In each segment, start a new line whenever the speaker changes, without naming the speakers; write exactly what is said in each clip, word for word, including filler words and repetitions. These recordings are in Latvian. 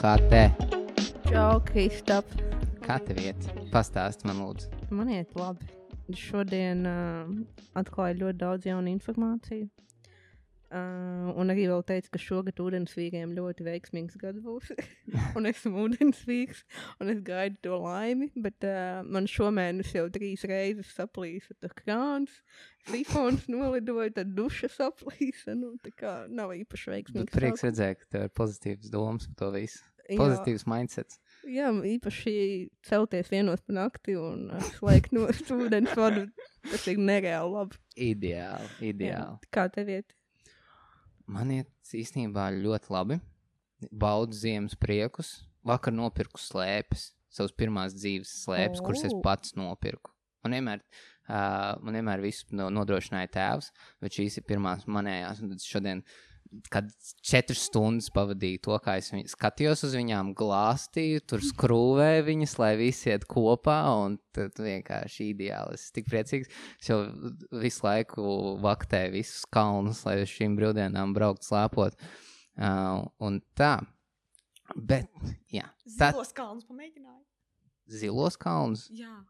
Kā te?
Čau, Kristap.
Kā tev iet? Pastāsti man lūdzu.
Man iet labi. Šodien uh, atklāju ļoti daudz jaunu informāciju. Uh, un arī vēl teicu, ka šogad ūdensvīriem ļoti veiksmīgs gads būs. Un esmu ūdensvīrs, un es gaidu to laimi. Bet uh, man šomēnes jau trīs reizes saplīsa tā krāns, sifons nolidoja, tad duša saplīsa. Nu, tā kā nav īpaši veiksmīgs.
Prieks redzēt, ka tev ir pozitīvas domas par to visu. Pozitīvs mindsets.
Jā, īpaši celties vienos pa nakti un uh, slēgt no ūdens vadu. Tas ir nereāli labi.
Ideāli, ideāli.
Jā, kā tev iet?
Man iet īstenībā ļoti labi. Baudu ziemas priekus. Vakar nopirku slēpes. Savas pirmās dzīves slēpes, oh. kuras es pats nopirku. Man vienmēr, uh, man vienmēr visu nodrošināja tēvs, bet šīs ir pirmās manējās. Un tad šodien, kad četras stundas pavadīju to, kā es viņ, skatījos uz viņām, glāstīju, tur skrūvēju viņas, lai visi iet kopā, un tad vienkārši ideāli. Es tik priecīgs. Es jau visu laiku vaktēju visus kalnus, lai uz šīm brīvdienām braukt slēpot. Uh, un tā. Bet, jā.
Zilos kalnus pamēģināju.
Zilos kalnus?
Jā.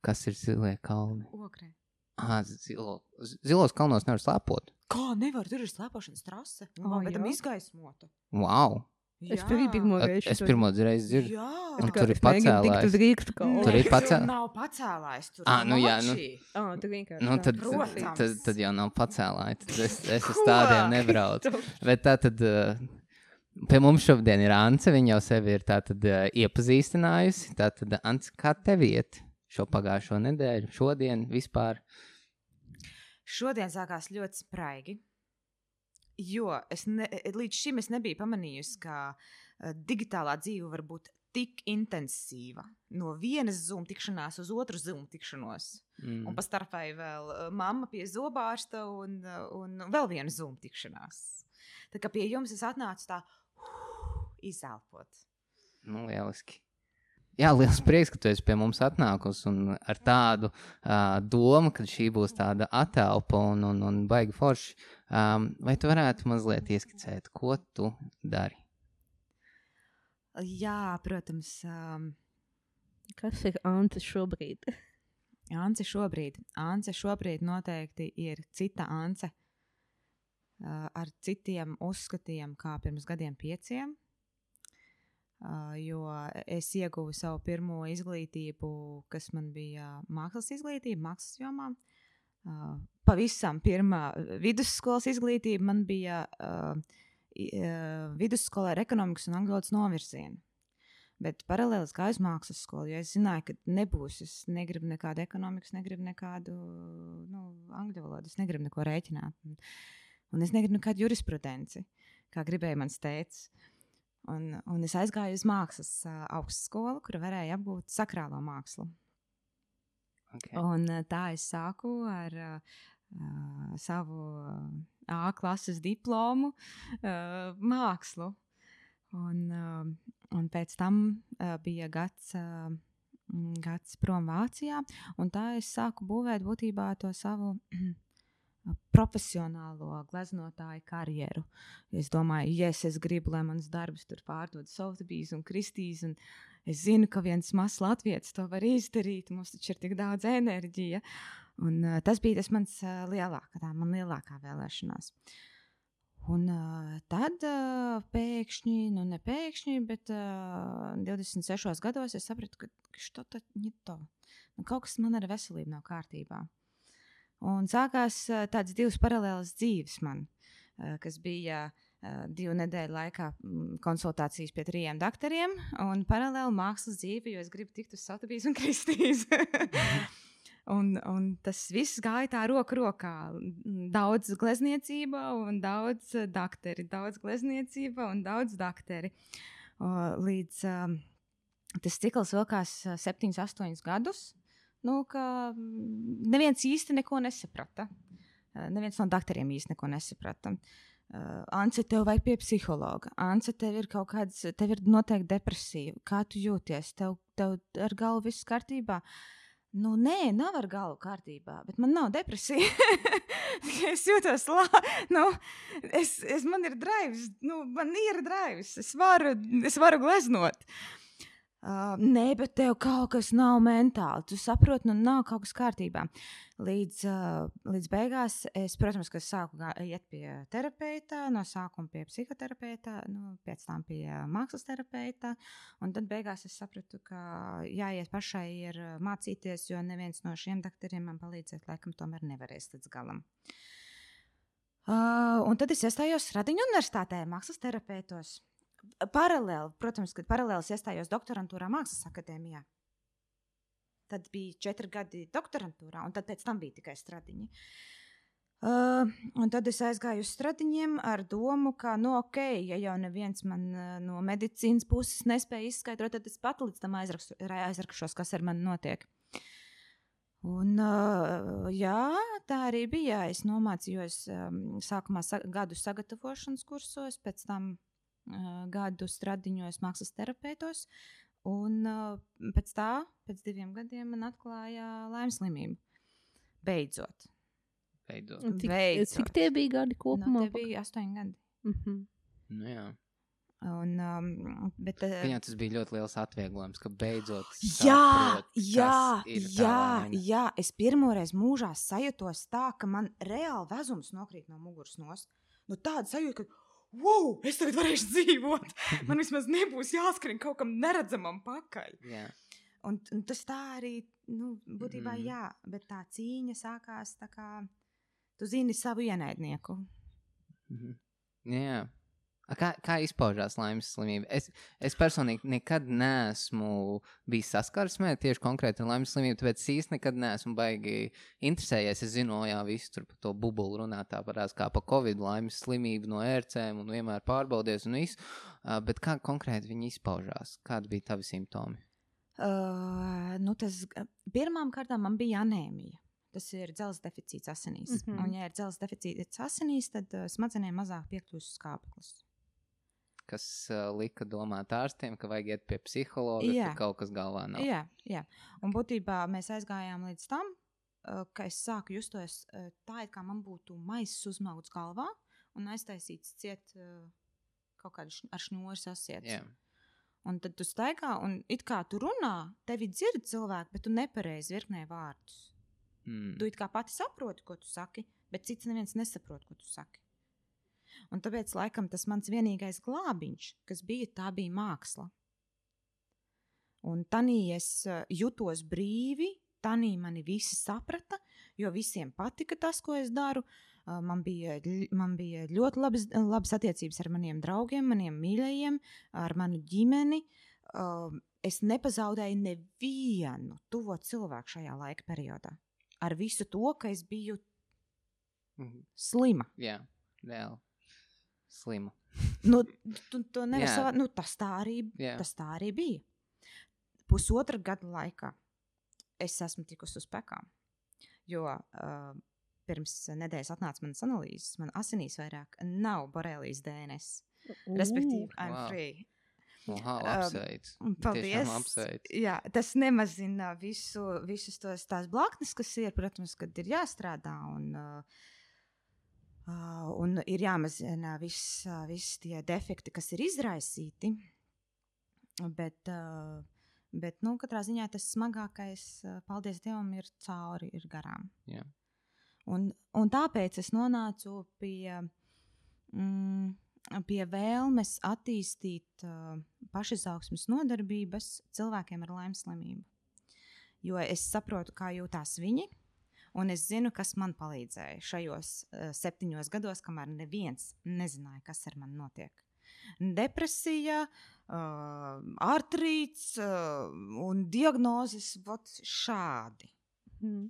Kas ir zilie kalni?
Ogrē.
Ah, zilo, zilos kalnos nevar slēpot.
Kā nevar? Tur ir slēpošanas trase.
Oh,
bet tam
jā?
izgaismota.
Wow.
Es arī pirmo reizi.
Es pirmo reizi dzirdu.
Jā.
Un tur ir pacēlājs.
Tur
Tur ir pacēl...
nav pacēlājs. Tur
Ah, nu jā, nu.
Ah, tu vienkārši.
Nu, tad,
Protams.
tad, tad jau nav pacēlāji. Tad es, es uz tādiem nebraucu. Bet tā tad, uh, pie mums šodien ir Ance, viņa jau sevi ir tā tad uh, iepazīstinājusi. Tā tad, Ance, kā tev iet šo pagājušo nedēļu, šodien vispār?
Šodien sākās ļoti spraigi, jo es ne, līdz šim es nebiju pamanījusi, ka uh, digitālā dzīve var būt tik intensīva. No vienas Zoom tikšanās uz otru Zoom tikšanos. Mm. Un pa starpai vēl uh, mamma pie zobārsta un, uh, un vēl viena Zoom tikšanās. Tā kā pie jums es atnācu tā uh, izelpot.
Nu, lieliski. Jā, liels prieks, ka tu esi pie mums atnākusi un ar tādu uh, domu, ka šī būs tāda atelpa un, un, un baigi forši. Um, vai tu varētu mazliet ieskicēt, ko tu dari?
Jā, protams. Um,
Kas ir Ance šobrīd?
Ance šobrīd. Ance šobrīd noteikti ir cita Ance uh, ar citiem uzskatiem kā pirms gadiem pieciem. Uh, jo es ieguvu savu pirmo izglītību, kas man bija mākslas izglītība, mākslas jomā. Uh, pavisam pirmā vidusskolas izglītība man bija uh, uh, vidusskolā ar ekonomikas un angļu valodas novirzienu. Bet paralēli es gāju uz mākslas skolu, jo es zināju, ka nebūs. Es negribu nekādu ekonomikas, negribu nekādu nu, angļu valodu, es negribu neko rēķināt. Un, un es negribu nekādu jurisprudenci, kā gribēja mans tētis. Un, un es aizgāju uz mākslas uh, augstskolu, kur varēja apgūt sakrālo mākslu.
Okay.
Un uh, tā es sāku ar uh, uh, savu A klases diplomu uh, mākslu. Un, uh, un pēc tam uh, bija gads, uh, gads prom Vācijā, un tā es sāku būvēt būtībā to savu profesionālo gleznotāju karjeru. Es domāju, yes, es gribu, lai mans darbs tur pārdod Sotheby's un Christie's, un es zinu, ka viens mazs latvietis to var izdarīt, mums taču ir tik daudz enerģija. Un uh, tas bija tas mans uh, lielākā, tā man lielākā vēlēšanās. Un uh, tad uh, pēkšņi, nu ne pēkšņi, bet uh, divdesmit sešos gados es sapratu, ka što tad ne to. Nu, kaut kas man ar veselību nav kārtībā. Un sākās uh, tāds divas paralēlas dzīves man, uh, kas bija uh, divu nedēļu laikā mm, konsultācijas pie trījiem daktariem un paralēli mākslas dzīve, jo es gribu tikt uz Sotheby's un Christie's. un, un tas viss gāja tā roku rokā. Daudz glezniecība un daudz dakteri, daudz glezniecība un daudz dakteri. Uh, līdz uh, tas cikls vilkās uh, septiņus, astoņus gadus. Nu, ka neviens īsti neko nesaprata. Neviens no daktariem īsti neko nesaprata. Uh, Ance, tev vajag pie psihologa. Ance, tev ir kaut kāds, tev ir noteikti depresija. Kā tu jūties? Tev, tev ar galvu viss kārtībā? Nu, nē, nav ar galvu kārtībā, bet man nav depresija. Es jūtos labi. Nu, es, es, man ir drives, nu, man ir drives. Es varu, es varu gleznot. Uh, nē, bet tev kaut kas nav mentāli. Tu saproti, nu nav kaut kas kārtībā. Līdz, uh, līdz beigās es, protams, ka sāku gā, iet pie terapeita, no sākuma pie psihoterapeita, nu, pēc tam pie mākslas terapeita. Un tad beigās es sapratu, ka jāiet pašai ir mācīties, jo neviens no šiem doktoriem man palīdzēt, laikam, tomēr nevarēs līdz galam. Uh, un tad es iestājos Radiņu universitātē, mākslas terapeitos. Paralēli, protams, kad paralēli es iestājos doktorantūrā Mākslas akadēmijā. Tad bija četri gadi doktorantūrā, un tad pēc tam bija tikai Stradiņi. Uh, un tad es aizgāju uz Stradiņiem ar domu, ka, nu, ok, ja jau neviens man uh, no medicīnas puses nespēja izskaidrot, tad es pat līdz tam aizrakstu, aizrakšos, kas ar mani notiek. Un, uh, jā, tā arī bija. Es nomācījos um, sākumā sa- gadu sagatavošanas kursos, pēc tam Uh, gadu Stradiņos mākslas terapeitos, un uh, pēc tā, pēc diviem gadiem man atklāja Laimes slimību. Beidzot.
Beidzot.
Cik,
Beidzot.
cik tie bija gadi kopumā?
No, tie bija astoņi gadi.
Mhm.
Nu, jā.
Un, um, bet, uh,
Viņam tas bija ļoti liels atvieglojums, ka beidzot
jā,
saprot,
jā,
kas ir tā
jā,
vaina.
jā, es pirmoreiz mūžā sajūtos tā, ka man reāli vezums nokrīt no muguras nost. Nu, tāda sajūta, ka wow, es tagad varēšu dzīvot. Man vismaz nebūs jāskrien kaut kam neredzamam pakaļ.
Jā.
Un, un tas tā arī, nu, būtībā
Mm.
jā, bet tā cīņa sākās tā kā, tu zini savu ienaidnieku.
Mhm. Jā. A, Kā, kā izpaužās Laimes slimība? Es, es personīgi nekad neesmu bijis saskarsmē tieši konkrēti ar Laimes slimību, tāpēc es īsti nekad neesmu baigi interesējies. Es zinu, jā, visu tur par to bubulu runāt, tā parās kā pa Covid, Laimes slimību no ērcēm un vienmēr pārbaudies un visu. Uh, bet kā konkrēti viņi izpaužās? Kādi bija tavi simptomi?
Uh, nu tas, pirmām kārtām man bija anēmija. Tas ir dzelzs deficīts asinīs.
Mhm.
Un, ja ir dzelzs deficīts asinīs, tad uh, smadzenēm mazāk piekļūst skābeklis.
Kas uh, lika domāt ārstiem, ka vajag iet pie psihologa,
Jā.
ka kaut kas galvā nav.
Jā, jā. Un būtībā mēs aizgājām līdz tam, uh, ka es sāku justos uh, tā, it kā man būtu maiss uzmauts galvā un aiztaisīts ciet uh, kaut kādu šn- ar šņūri sasiets.
Jā.
Un tad tu staigā un it kā tu runā, tevi dzird cilvēki, bet tu nepareizi virknē vārdus.
Mm.
Tu it kā pati saproti, ko tu saki, bet cits neviens nesaprot, ko tu saki. Un tāpēc, laikam, tas mans vienīgais glābiņš, kas bija, tā bija māksla. Un tanī es uh, jutos brīvi, tanī mani visi saprata, jo visiem patika tas, ko es daru. Uh, man, bija, ļ- man bija ļoti labas, labas attiecības ar maniem draugiem, maniem mīļajiem, ar manu ģimeni. Uh, es nepazaudēju nevienu tuvo cilvēku šajā laika periodā. Ar visu to, ka es biju
Mhm.
slima.
Jā, reāli. Slima.
Nu, tu, tu nevar
Jā.
savā, nu, tas, tā arī,
Jā.
tas tā arī bija. Pusotra gada laikā es esmu tikusi uz pekām, jo uh, pirms nedēļas atnāca manas analīzes, man asinīs vairāk nav borelijas D N S. Respektīvi, I'm
Wow.
free.
Wow,
Um,
apsveic.
Paldies.
Tiešām apsveic.
Jā, tas nemazina visu, visus tos tās blaknes, kas ir, protams, kad ir jāstrādā un, uh, uh, un ir jāmazina viss, uh, viss tie defekti, kas ir izraisīti. Bet, uh, bet nu, katrā ziņā tas smagākais, uh, paldies Dievam, ir cauri, ir garām.
Jā.
Un, un tāpēc es nonācu pie, mm, pie vēlmes attīstīt uh, pašizaugsmes nodarbības cilvēkiem ar Laimes slimību. Jo es saprotu, kā jūtās viņi, un es zinu, kas man palīdzēja šajos uh, septiņos gados, kamēr neviens nezināja, kas ar mani notiek. Depresija, uh, artrīts uh, un diagnozes vot šādi.
Mhm.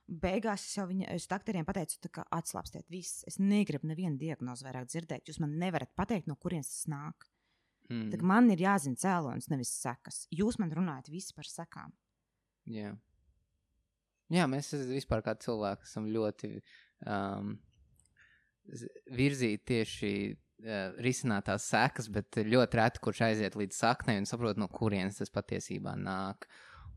Beigās es jau viņa, es doktoriem pateicu, tā kā atslāpstiet viss. Es negribu nevienu diagnozi vairāk dzirdēt. Jūs man nevarat pateikt, no kurienes tas nāk.
Mm.
Tā kā man ir jāzina cēlonis, nevis sekas. Jūs man runājat visi par sekām.
Jā. Jā, mēs vispār kā cilvēki esam ļoti um, z- virzīti tieši uh, risināt tās sekas, bet ļoti reti kurš aiziet līdz saknei un saprot, no kurienes tas patiesībā nāk.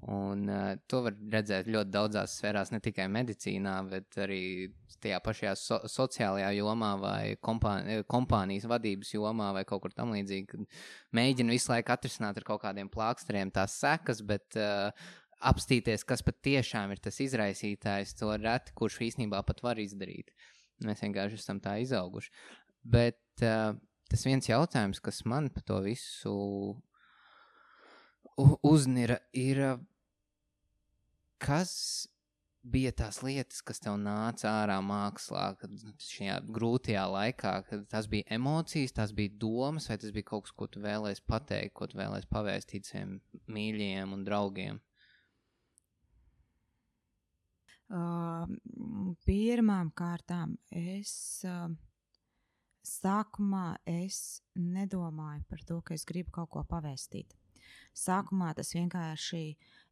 Un uh, to var redzēt ļoti daudzās sfērās, ne tikai medicīnā, bet arī tajā pašajā so sociālajā jomā vai kompāni kompānijas vadības jomā vai kaut kur tam līdzīgi, kad mēģina visu laiku atrisināt ar kaut kādiem plāksteriem tās sekas, bet uh, apstīties, kas pat tiešām ir tas izraisītājs, to reti, kurš īstenībā pat var izdarīt. Mēs vienkārši esam tā izauguši. Bet uh, tas viens jautājums, kas man par to visu uznira, ir, kas bija tās lietas, kas tev nāca ārā mākslā, kad šajā grūtajā laikā, kad tas bija emocijas, tas bija domas, vai tas bija kaut kas, ko tu vēlēs pateikt, ko tu vēlēs pavēstīt saviem mīļiem un draugiem?
Uh, pirmām kārtām es uh, sākumā es nedomāju par to, ka es gribu kaut ko pavēstīt. Sākumā tas vienkārši,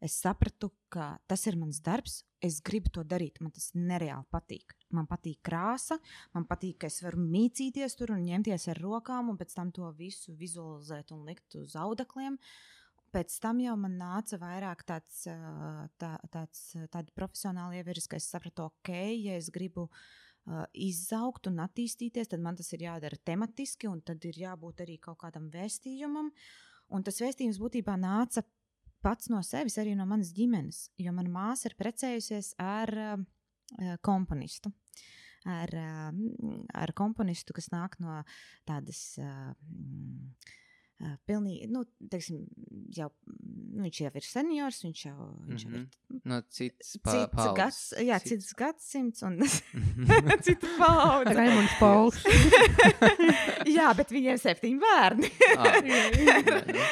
es sapratu, ka tas ir mans darbs, es gribu to darīt, man tas nereāli patīk. Man patīk krāsa, man patīk, ka es varu mīcīties tur un ņemties ar rokām un pēc tam to visu vizualizēt un likt uz audekliem. Pēc tam jau man nāca vairāk tāds, tā, tāds, tādi profesionāli ievirs, ka es sapratu, ok, ja es gribu uh, izaugt un attīstīties, tad man tas ir jādara tematiski un tad ir jābūt arī kaut kādam vēstījumam. Un tas vēstījums būtībā nāca pats no sevis, arī no manas ģimenes, jo mana māsa ir precējusies ar uh, komponistu. Ar, uh, ar komponistu, kas nāk no tādas uh, uh, pilnīgi, nu, teiksim, jau, nu, viņš jau ir seniors, viņš jau, viņš
mm-hmm.
jau ir
no cits pa, paudzes.
Gads, jā, cits, cits gadsimts un cita paudze.
Raimunds Pauls.
Jā, bet viņiem septiņi bērni.
ah, jā, nu.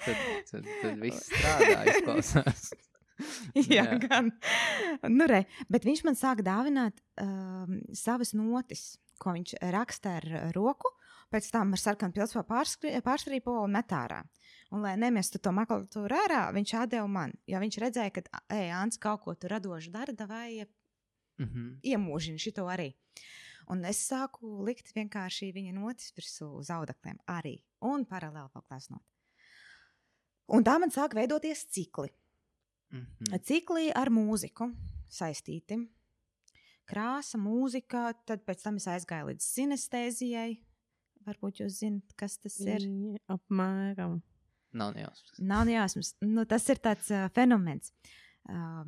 tad, tad, tad viss strādā, izklausās.
jā, jā, gan. Nu, re, bet viņš man sāk dāvināt um, savas notis, ko viņš raksta ar roku, pēc tam ar sarkanu pilspāru pārstrīpo un met ārā. Un, lai nemestu to makulatūru ārā, viņš atdeva man, jo viņš redzēja, ka, ej, Ants, kaut ko tu radoši dara, davai mm-hmm. iemūžini šito arī. Un es sāku likt vienkārši viņa notis virsū uz audekliem arī, un paralēli vēl klāsnot. Un tā man sāk veidoties cikli. Mm-hmm. Cikli ar mūziku saistīti. Krāsa, mūzika, tad pēc tam es aizgāju līdz sinestēzijai. Varbūt jūs zinat, kas tas ir?
Apmēram.
Nav nejausmas.
Nav nejausmas. Nu, tas ir tāds uh, fenomens. Uh,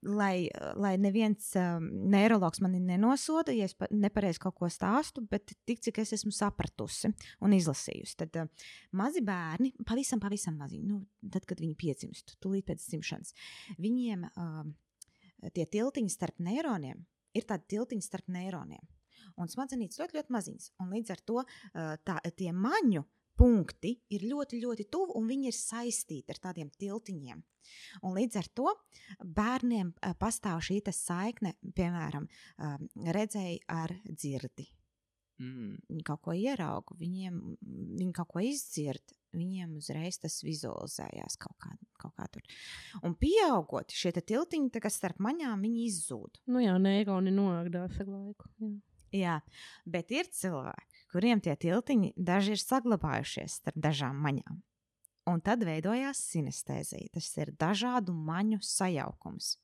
lai, lai neviens uh, neirologs mani nenosoda, ja es nepareizi kaut ko stāstu, bet tik, cik es esmu sapratusi un izlasījusi. Tad uh, mazi bērni, pavisam, pavisam mazi, nu, tad, kad viņi piedzimst, tūlīt pēc dzimšanas, viņiem uh, tie tiltiņi starp neironiem ir tādi tiltiņi starp neironiem. Un smadzenītes ļoti, ļoti maziņas. Un līdz ar to uh, tā, tie maņu punkti ir ļoti, ļoti tuvu un viņi ir saistīti ar tādiem tiltiņiem. Un līdz ar to bērniem uh, pastāv šī saikne, piemēram, uh, redzēja ar dzirdi. Mm. Viņi kaut ko ierauga, viņiem, viņi kaut ko izdzird, viņiem uzreiz tas vizualizējās kaut kā, kaut kā tur. Un pieaugot, šie tiltiņi, tā kā starp maņām, viņi izzūd.
Nu jā, neironi noāgdās ar laiku. Jā.
Jā, bet ir cilvēki, kuriem tie tiltiņi daži ir saglabājušies starp dažām maņām. Un tad veidojās sinestēzija. Tas ir dažādu maņu sajaukums.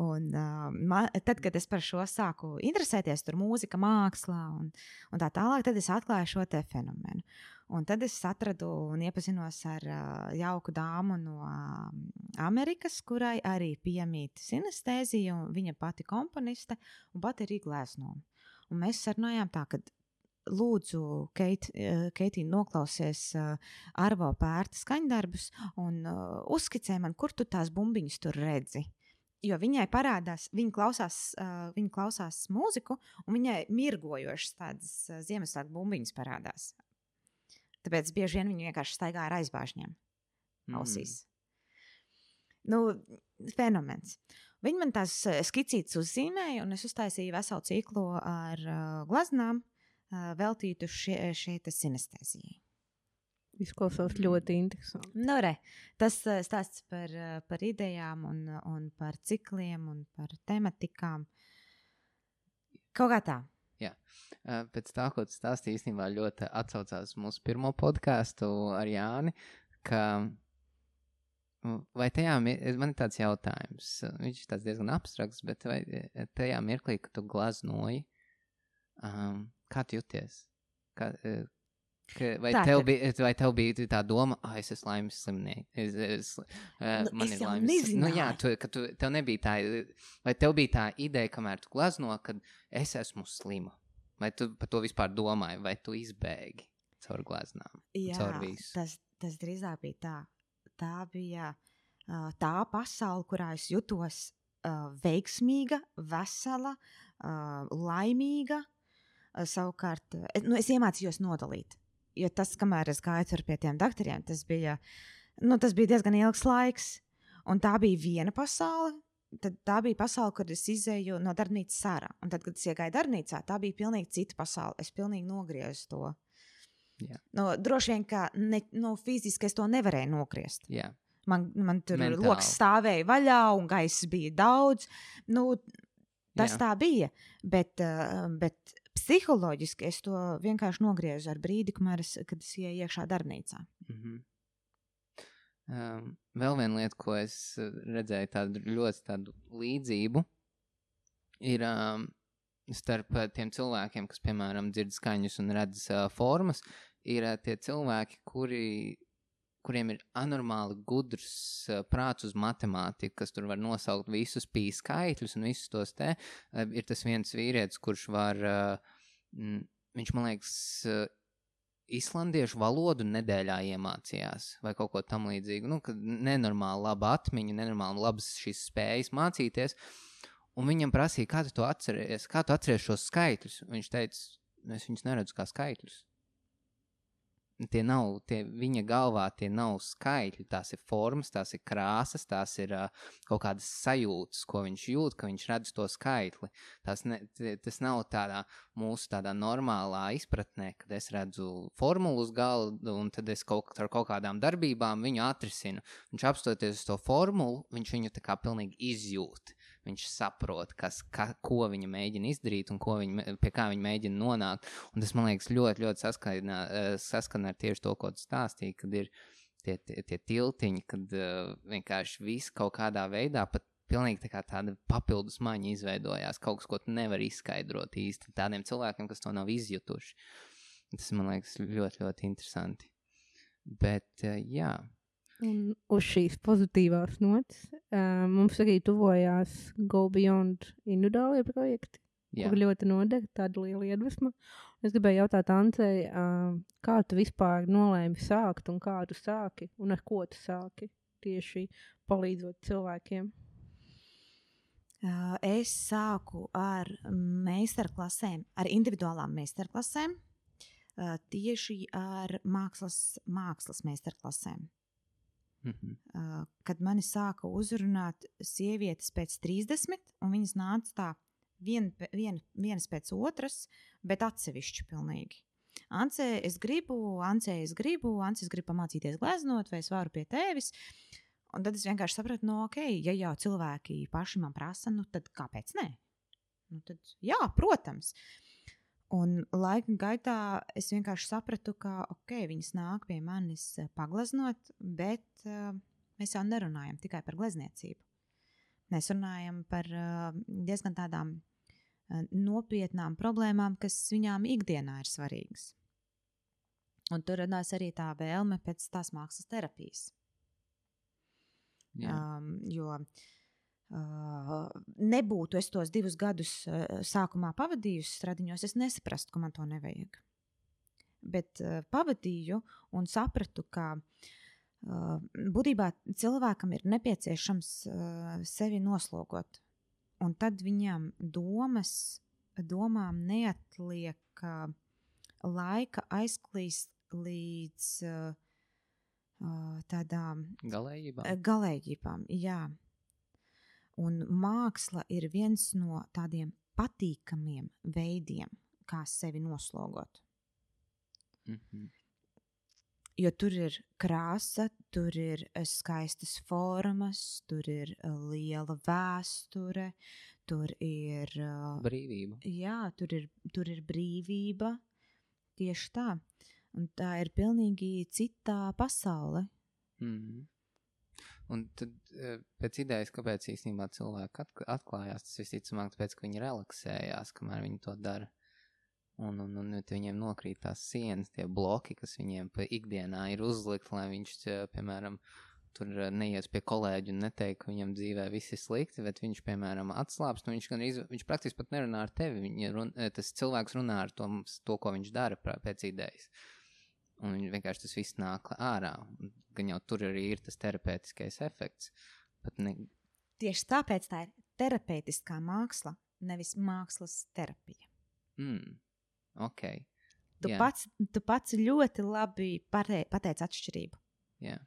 Un uh, man, tad, kad es par šo sāku interesēties, tur mūzika, mākslā un, un tā tālāk, tad es atklāju šo te fenomenu. Un tad es atradu un iepazinos ar uh, jauku dāmu no uh, Amerikas, kurai arī piemīt sinestēzija, un viņa pati komponiste un pati arī glezno. Un mēs sarunājām tā, ka lūdzu, Keit, Keitī, noklausies uh, Arvo Pērta skaņdarbus un uh, uzskicē man, kur tu tās bumbiņas tur redzi. Jo viņai parādās, viņa klausās, uh, viņa klausās mūziku, un viņai mirgojošas tādas uh, Ziemassvētku bumbiņas parādās. Tāpēc bieži vien viņi vienkārši staigā ar aizbāžņiem ausīs. Mm. Nu, fenomens. Viņi man tās skicītes uzzīmēja, un es uztaisīju veselu ciklu ar uh, glaznām uh, veltītu šie, šie sinestēzijai.
Izklausās ļoti interesanti.
Nu, re, tas stāsts par, par idejām un, un par cikliem un par tematikām. Kaut kā tā.
Jā. Pēc tā, ko tu stāstīji, īstenībā ļoti atsaucās mūsu pirmo podcastu ar Jāni, ka vai tajā, man ir tāds jautājums, viņš ir tāds diezgan abstrakts, bet vai tajā mirklī, kad tu glaznoji, um, kā tu jūties? Kā, ka, vai,
tā,
tev
ka...
bija, vai tev bija tā doma, ah, es esmu laimes slimnieks, es, es, uh,
nu,
man
es
ir
jau
laimes
nezināju.
Nu jā, tu, ka tu, tev nebija tā, vai tev bija tā ideja, kamēr tu glazno, kad es esmu slima? Vai tu par to vispār domāji, vai tu izbēgi caur glaznām?
Jā,
caur visu?
tas, tas drīzāk bija tā. Tā bija uh, tā pasaule, kurā es jutos uh, veiksmīga, vesela, uh, laimīga. Uh, savukārt, uh, nu, es iemācījos nodalīt. Jo tas, kamēr es gāju pie tiem doktoriem, tas bija, nu, tas bija diezgan ilgs laiks. Un tā bija viena pasaule. Tad tā bija pasaule, kad es izēju no darbnīcas ārā. Un tad, kad es iegāju darbnīcā, tā bija pilnīgi cita pasaule. Es pilnīgi nogriezu to.
Jā.
Nu, droši vien, ka ne, nu, fiziski es to nevarēju nogriezt.
Jā.
Man, man tur
Mentāli.
loks stāvēja vaļā un gaiss bija daudz. Nu, tas Jā. Tā bija. Bet, uh, bet psiholoģiski es to vienkārši nogriezu ar brīdi, kamēr es, kad es ieju iekšā darbnīcā.
Mhm. Um, vēl viena lieta, ko es redzēju, tādu ļoti tādu līdzību, ir um, starp tiem cilvēkiem, kas, piemēram, dzird skaņus un redz uh, formas, ir uh, tie cilvēki, kuri, kuriem ir anormāli gudrs uh, prāts uz matemātiku, kas tur var nosaukt visus pī skaitļus un visus tos te. Uh, ir tas viens vīrietis, kurš var, uh, m, viņš, man liekas, uh, islandiešu valodu nedēļā iemācījās vai kaut ko tam līdzīgu. Nu, kad nenormāli laba atmiņa, nenormāli labas šīs spējas mācīties. Un viņam prasīja, kā tu to atceries, kā tu atceries šos skaitļus. Un viņš teica, es viņus neredzu kā skaitļus. Tie nav, tie viņa galvā tie nav skaitļi, tās ir formas, tās ir krāsas, tās ir uh, kaut kādas sajūtas, ko viņš jūt, ka viņš redz to skaitli. Tās ne, tas nav tādā mūsu tādā normālā izpratnē, kad es redzu formulu uz galdu un tad es kaut, ar kaut kādām darbībām viņu atrisinu. Viņš apstoties uz to formulu, viņš viņu tā kā pilnīgi izjūt. Viņš saprot, kas, ka, ko viņa mēģina izdarīt un ko viņa, pie kā viņa mēģina nonākt. Un tas, man liekas, ļoti, ļoti saskana, saskana ar tieši to, ko tu stāstīji, kad ir tie, tie, tie tiltiņi, kad uh, vienkārši viss kaut kādā veidā pat pilnīgi tā kā tāda papildus maņa izveidojās, kaut kas, ko tu nevari izskaidrot īsti tādiem cilvēkiem, kas to nav izjutuši. Tas, man liekas, ļoti, ļoti interesanti. Bet, uh, jā.
Un uz šīs pozitīvās notas uh, mums arī tuvojās Go Beyond individuālie projekti,
Jā.
kur ļoti noder tāda liela iedvesma. Es gribēju jautāt Ancei, uh, kā tu vispār nolēmi sākt un kā tu sāki un ar ko tu sāki tieši palīdzot cilvēkiem?
Uh, es sāku ar meistarklasēm, ar individuālām meistarklasēm, uh, tieši ar mākslas, mākslas meistarklasēm.
Mhm.
Uh, kad mani sāka uzrunāt sievietes pēc trīsdesmit, un viņas nāca tā vien, vien, vienas pēc otras, bet atsevišķi pilnīgi. Ance, es gribu, Ance, es gribu, Ance, es gribu pamācīties gleznot, vai es varu pie tevis. Un tad es vienkārši sapratu, no ok, ja jau cilvēki paši man prasa, nu tad kāpēc ne? Nu tad, jā, protams. Un laika gaitā es vienkārši sapratu, ka ok, viņas nāk pie manis pagleznot, bet uh, mēs jau nerunājam tikai par glezniecību. Mēs runājam par uh, diezgan tādām uh, nopietnām problēmām, kas viņām ikdienā ir svarīgas. Un tur radās arī tā vēlme pēc tās mākslas terapijas.
Jā.
Um, jo Uh, nebūtu es tos divus gadus uh, sākumā pavadījusi stradiņos, es nesaprastu, ka man to nevajag. Bet uh, pavadīju un sapratu, ka uh, būtībā cilvēkam ir nepieciešams uh, sevi noslogot. Un tad viņam domas, domām neatliek uh, laika aizklīst līdz uh, uh, tādām
Galējībām.
galējībām, jā. Un māksla ir viens no tādiem patīkamiem veidiem, kā sevi noslogot.
Mhm.
Jo tur ir krāsa, tur ir skaistas formas, tur ir liela vēsture, tur ir
brīvība.
Jā, tur ir, tur ir brīvība. Tieši tā. Un tā ir pilnīgi citā pasaule.
Mhm. Un tad pēc idejas, kāpēc īstenībā cilvēki atklājās, tas visticamāk, tāpēc, ka viņi relaksējās, kamēr viņi to dara. Un, un, un viņiem nokrīt tās sienas, tie bloki, kas viņiem pa ikdienā ir uzlikt, lai viņš, piemēram, tur neies pie kolēģi un neteikt, ka viņam dzīvē viss ir slikti, bet viņš, piemēram, atslāpst, un viņš, gan, viņš praktiski pat nerunā ar tevi. Viņa run, tas cilvēks runā ar to, to, ko viņš dara pēc idejas. Un vienkārši tas viss nāk ārā. Gan jau tur arī ir tas terapeitiskais efekts. Ne...
Tieši tāpēc tā ir terapeitiskā māksla, nevis mākslas terapija.
Mm, ok.
Tu,
yeah.
pats, tu pats ļoti labi pate, pateici atšķirību.
Yeah.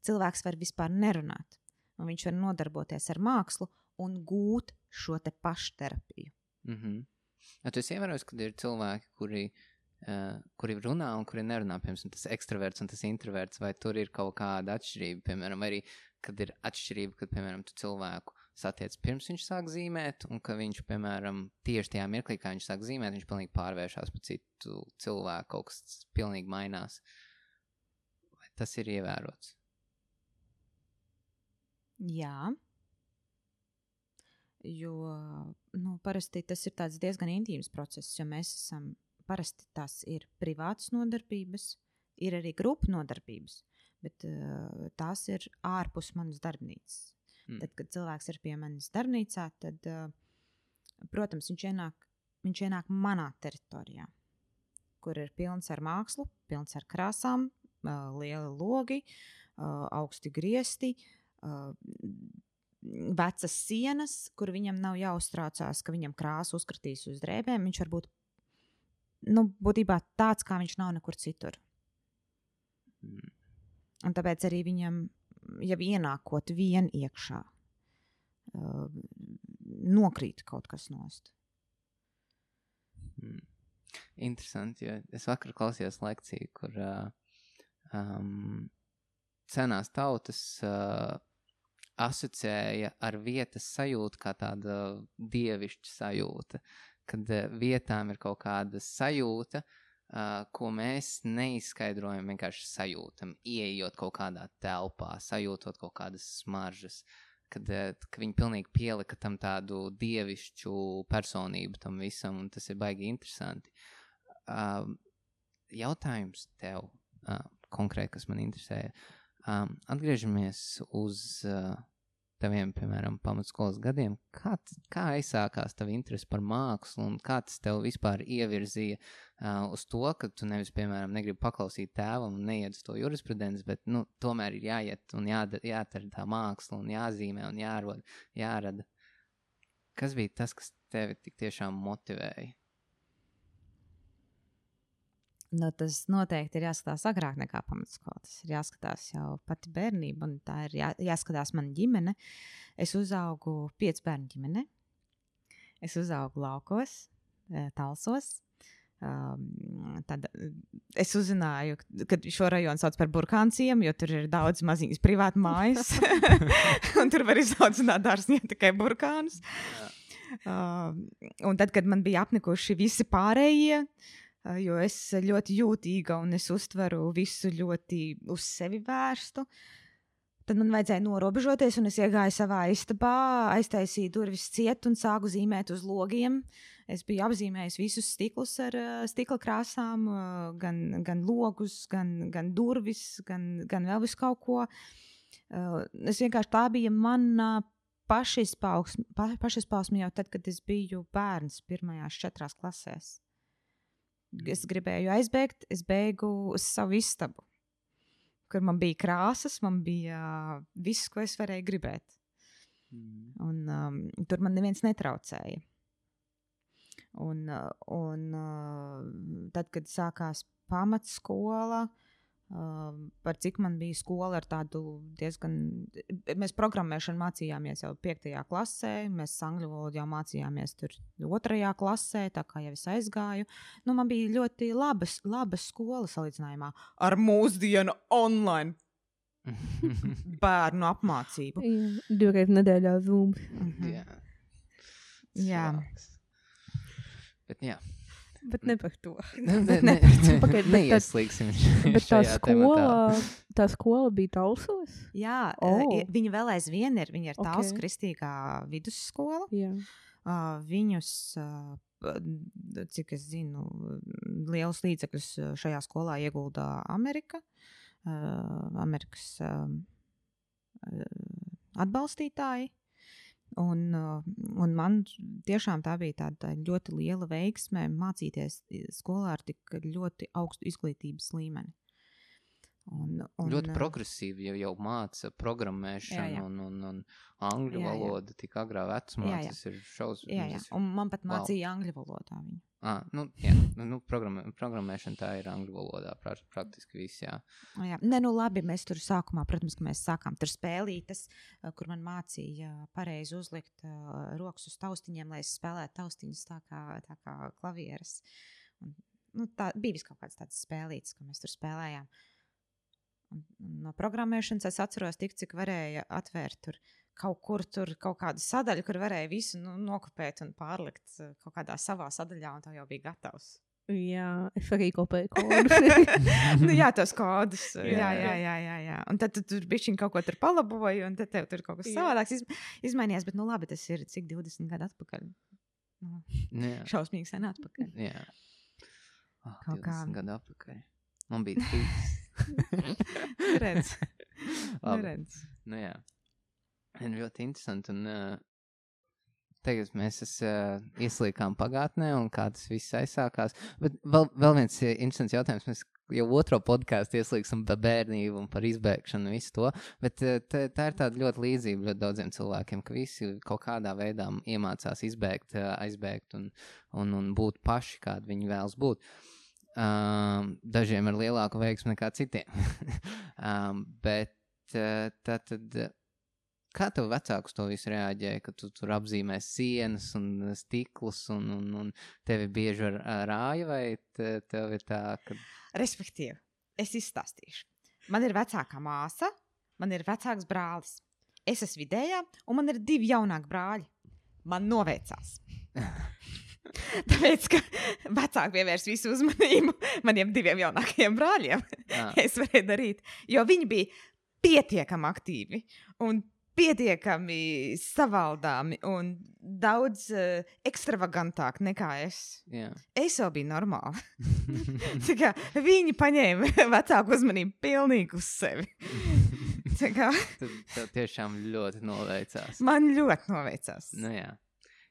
Cilvēks var vispār nerunāt, un viņš var nodarboties ar mākslu un gūt šo te pašterapiju.
Mm-hmm. Ja tu esi ievērojis, kad ir cilvēki, kuri Uh, kuri runā un kuri nerunā, piemēram, tas ekstraverts un tas introverts, vai tur ir kaut kāda atšķirība, piemēram, arī, kad ir atšķirība, kad, piemēram, tu cilvēku satiec pirms viņš sāk zīmēt, un ka viņš, piemēram, tieši tajā mirklī, kā viņš sāk zīmēt, viņš pilnīgi pārvēršās par citu cilvēku, kaut kas pilnīgi mainās. Vai tas ir ievērots?
Jā. Jo, nu, parasti tas ir tāds diezgan intīms process, jo mēs esam parasti tās ir privātas nodarbības, ir arī grupu nodarbības, bet uh, tās ir ārpus manas darbnīcas. Mm. Tad, kad cilvēks ir pie manis darbnīcā, tad, uh, protams, viņš ienāk, viņš ienāk manā teritorijā, kur ir pilns ar mākslu, pilns ar krāsām, uh, lieli logi, uh, augsti griesti, uh, vecas sienas, kur viņam nav jāuztraucās, ka viņam krāsa uzkritīs uz drēbēm, viņš varbūt nu, būtībā tāds, kā viņš nav nekur citur. Mm. Un tāpēc arī viņam jau ienākot vien iekšā, uh, nokrīt kaut kas nost.
Mm. Interesanti, jo es vakar klausījos lekciju, kur uh, um, senās tautas uh, asociēja ar vietas sajūtu kā tāda dievišķa sajūta. Kad vietām ir kaut kāda sajūta, uh, ko mēs neizskaidrojam, vienkārši sajūtam, ieejot kaut kādā telpā, sajūtot kaut kādas smaržas, kad, uh, kad viņi pilnīgi pielika tam tādu dievišķu personību tam visam, un tas ir baigi interesanti. Uh, jautājums tev, uh, konkrēti, kas man interesēja, um, atgriežamies uz... Uh, taviem, piemēram, pamatskolas gadiem, kā, kā aizsākās tava interese par mākslu un kā tas tev vispār ievirzīja uh, uz to, ka tu nevis, piemēram, negribi paklausīt tēvam un neiet uz to jurisprudenci, bet, nu, tomēr ir jāiet un jāda, jāatar tā māksla un jāzīmē un jārod, jārada. Kas bija tas, kas tevi tik tiešām motivēja?
Nu, tas noteikti ir jāskatās agrāk nekā pamatskola. Tas ir jāskatās jau pati bērnība, un tā ir jā, jāskatās mana ģimene. Es uzaugu piecu bērnu ģimene. Es uzaugu laukos, Talsos. Um, tad es uzzināju, ka šo rajonu sauc par burkānciem, jo tur ir daudz maziņas privātu mājas. Un tur var izaudzināt dārznieki tikai burkānus. Uh, un tad, kad man bija apnikuši visi pārējie, jo es ļoti jūtīga un es uztveru visu ļoti uz sevi vērstu, tad man vajadzēja norobežoties, un es iegāju savā istabā, aiztaisīju durvis ciet un sāku zīmēt uz logiem. Es biju apzīmējis visus stiklus ar uh, stikla krāsām, uh, gan, gan logus, gan, gan durvis, gan, gan vēl visu kaut ko. Uh, es vienkārši tā bija mana pašizpausme, pa, pašizpausme jau tad, kad es biju bērns pirmajās četrās klasēs. Es gribēju aizbēgt, es bēgu uz savu istabu, kur man bija krāsas, man bija uh, viss, ko es varēju gribēt. Mm. Un um, tur man neviens netraucēja. Un, uh, un uh, tad, kad sākās pamatskola, uh, par cik man bija skola ar tādu diezgan... Mēs programmēšanu mācījāmies jau piektajā klasē, mēs angļu valodu jau mācījāmies tur otrajā klasē, tā kā jau es aizgāju. Nu, man bija ļoti labas, labas skola salīdzinājumā ar mūsdienu online bērnu apmācību.
Jā, divreiz nedēļā Zoom.
Mhm.
Jā.
Jā.
Bet jā,
Bet ne par to.
Ne,
Bet
ne,
ne par to. Pagaid, bet tā-
Neieslīgsim
Bet tā
šajā tematā.
skola, tā skola bija Talsos?
Jā,
Oh.
oh. viņa vēl aizvien ir. Viņa ir
Ok.
Talsu kristīgā vidusskola.
Jā.
Uh, viņus, uh, cik es zinu, lielus līdzekļus šajā skolā ieguldā Amerika. Uh, Amerikas uh, atbalstītāji. Un, uh, un man tiešām tā bija tāda ļoti liela veiksme mācīties skolā ar tik ļoti augstu izglītības līmeni. Un, un,
Ļoti progresīvi jau, jau māca programmēšanu
Jā, jā.
un, un, un angļu
Jā, jā.
valodu tik agrā vecumā.
Jā, jā.
Tas ir šaus.
jā, jā.
tas ir-
Un man pat
Wow.
mācīja angļu valodā viņu.
Ah, nu, jā, nu, nu, programmē, programmēšana tā ir angļu valodā, pra, praktiski viss, jā.
Jā. Ne, nu labi, mēs tur sākumā, protams, ka mēs sākām tur spēlītas, uh, kur man mācīja pareizi uzlikt uh, rokas uz taustiņiem, lai es spēlētu taustiņus tā kā, tā kā klavieres. Un, nu, tā bija vis kaut kāds tāds spēlīts, ko mēs tur spēlējām. Un, un no programmēšanas es atceros tik, cik varēja atvērt tur kaut kur tur kaut kādu sadaļu, kur varēja visu nu, nokopēt un pārlikt uh, kaut kādā savā sadaļā, un tā jau bija gatavs.
Jā, es arī kopēju kodus.
nu, jā, tos kodus. Jā,
Jā,
jā, jā. jā, jā. Un tad tu tur bišķiņ kaut ko tur palaboji, un tad tev tur kaut kas
Jā.
savādāks iz, izmainījās. Bet, nu labi, tas ir cik divdesmit gadu atpakaļ. Nu,
Jā,
šausmīgi sen atpakaļ.
jā. Oh,
Kaut kā.
divdesmit gadu atpakaļ. Man bija trīs.
Redz.
Labi.
Redz.
Nu jā. Un ļoti interesanti. Un, uh, tagad mēs es, uh, ieslīkām pagātnē un kā tas viss aizsākās. Bet vēl, vēl viens uh, interesants jautājums. Mēs jau otro podkāstu ieslīgsim par bērnību un par izbēgšanu un visu to. Bet uh, tā, tā ir tāda ļoti līdzība ļoti daudziem cilvēkiem, ka visi kaut kādā veidā iemācās izbēgt, uh, aizbēgt un, un, un būt paši, kādi viņi vēlas būt. Um, dažiem ir lielāka veiksme nekā citiem. um, bet uh, tā tad, uh, kā tev vecākus to visu reaģēja, ka tu tur apzīmē sienas un stiklus un, un, un tevi bieži ar, ar rāja, vai te, tev ir tā, ka...
Respektīvi, es izstāstīšu. Man ir vecākā māsa, man ir vecāks brālis. Es esmu vidējā, un man ir divi jaunāki brāļi. Man noveicās. Tāpēc, ka vecāki pievērs visu uzmanību maniem diviem jaunākajiem brāļiem.
Ah.
Es varēju darīt, jo viņi bija pietiekami aktīvi un pietiekami savaldāmi un daudz uh, ekstravagantāki nekā es.
Jā.
Es jau biju normāla. Tā kā viņi paņēma vecāku uzmanību pilnīgi uz sevi. Tā kā
Tad tev tiešām ļoti noveicās.
man ļoti noveicās.
Nu jā,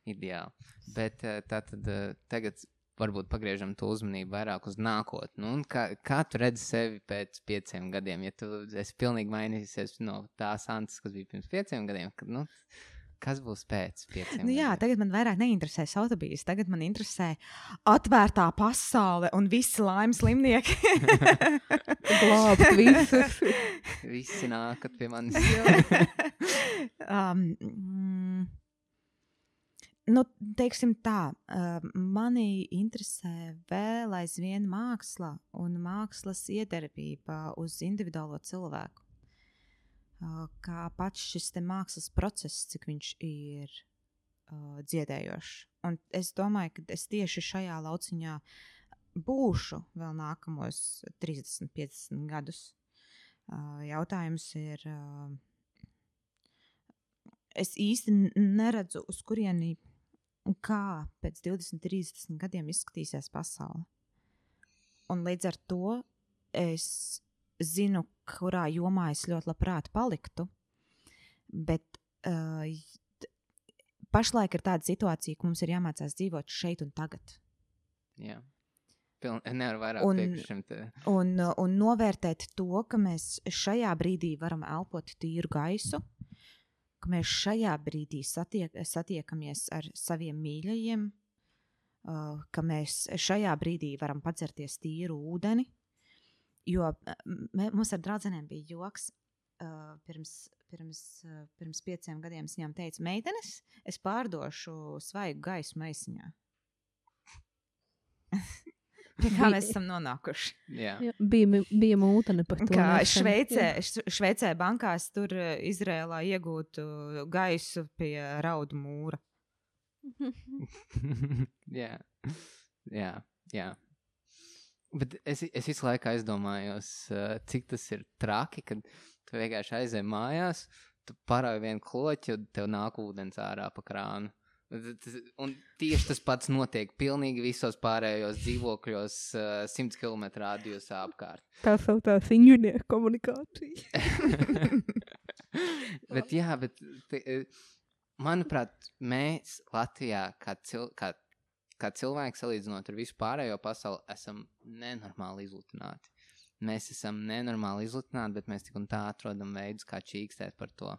ideāli. Bet uh, tā tad uh, tagad varbūt pagriežam to uzmanību vairāk uz nākotni. Nu, un kā, kā tu redzi sevi pēc pieciem gadiem? Ja tu esi pilnīgi mainījusies no tās Antas, kas bija pirms pieciem gadiem, kad, nu, kas būs pēc pieciem
Nu jā,
gadiem?
tagad man vairāk neinteresē autobīzes. Tagad man interesē atvērtā pasaule un visi laimes slimnieki.
Glābt visus.
Visi nākat pie manis.
um, mm, nu, teiksim tā, uh, mani interesē vēl aizvien māksla un mākslas iedarbība uz individuālo cilvēku. Uh, kā pats šis te mākslas process, cik viņš ir uh, dziedējošs. Un es domāju, ka es tieši šajā lauciņā būšu vēl nākamos trīsdesmit, piecdesmit gadus. Uh, jautājums ir, uh, es īsti neredzu, uz kurieni un kā pēc divdesmit, trīsdesmit gadiem izskatīsies pasaule. Un līdz ar to es zinu, kurā jomā es ļoti labprāt paliktu, bet uh, pašlaik ir tāda situācija, ka mums ir jāmācās dzīvot šeit un tagad.
Jā. Piln, nevar vairāk
Un-
piekrist šim te.
Un, uh, un novērtēt to, ka mēs šajā brīdī varam elpot tīru gaisu, ka mēs šajā brīdī satiek, satiekamies ar saviem mīļajiem, uh, ka mēs šajā brīdī varam padzerties tīru ūdeni. Jo mē, mums ar draudzenēm bija joks. Uh, pirms, pirms, uh, pirms pieciem gadiem es viņām teicu, meitenes, es pārdošu svaigu gaisu maisiņā. Pie kā mēs esam nonākuši?
Jā.
Jā, bija, bija mūtene par to.
Kā
nesen.
Šveicē,
Jā.
Š- Šveicē bankās tur uh, Izrēlā iegūtu gaisu pie raudu mūra.
Jā. Jā. Jā. Bet es, es visu laiku aizdomājos, cik tas ir traki, kad tu vienkārši aizej mājās, tu parauj vienu kloķi, un tev nāk ūdens ārā pa krānu. Un tieši tas pats notiek pilnīgi visos pārējos dzīvokļos simts kilometru rādījusā apkārt.
Tā saucās inženieru komunikācija.
Bet jā, bet manuprāt, mēs Latvijā kā, cil, kā kā cilvēki salīdzinot ar visu pārējo pasauli, esam nenormāli izlutināti. Mēs esam nenormāli izlutināti, bet mēs tik un tā atrodam veidus, kā čīkstēt par to.